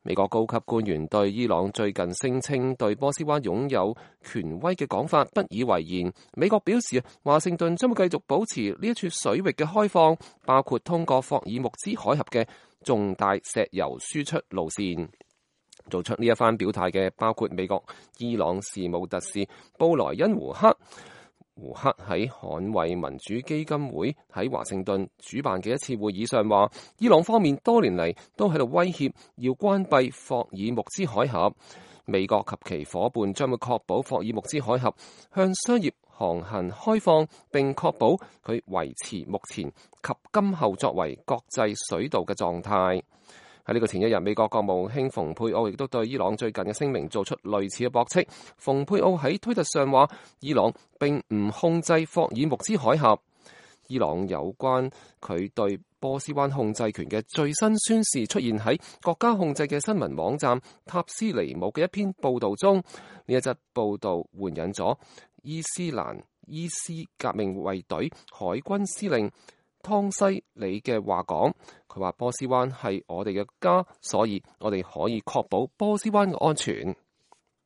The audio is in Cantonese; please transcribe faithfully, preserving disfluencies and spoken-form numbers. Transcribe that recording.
美國高級官員對伊朗最近聲稱對波斯灣擁有權威嘅講法不以為然。美國表示，華盛頓將會繼續保持呢一處水域嘅開放，包括通過霍爾木茲海峽嘅重大石油輸出路線。做出呢一番表態嘅包括美國伊朗事務特使布萊恩胡克。胡克喺捍衛民主基金會喺華盛頓主辦嘅一次會議上話，伊朗方面多年嚟都喺度威脅要關閉霍爾木茲海峽，美國及其夥伴將會確保霍爾木茲海峽向商業航行開放，並確保佢維持目前及今後作為國際水道嘅狀態。喺呢個前一日，美國國務卿蓬佩奧亦都對伊朗最近嘅聲明做出類似嘅駁斥。蓬佩奧喺推特上話，伊朗並唔控制霍爾木茲海峽。伊朗有關佢對波斯灣控制權嘅最新宣示出現喺國家控制嘅新聞網站塔斯尼姆嘅一篇報道中。呢一則報道援引咗伊斯蘭伊斯革命衛隊海軍司令湯西里嘅話講，佢話波斯灣係我哋嘅家，所以我哋可以確保波斯灣嘅安全。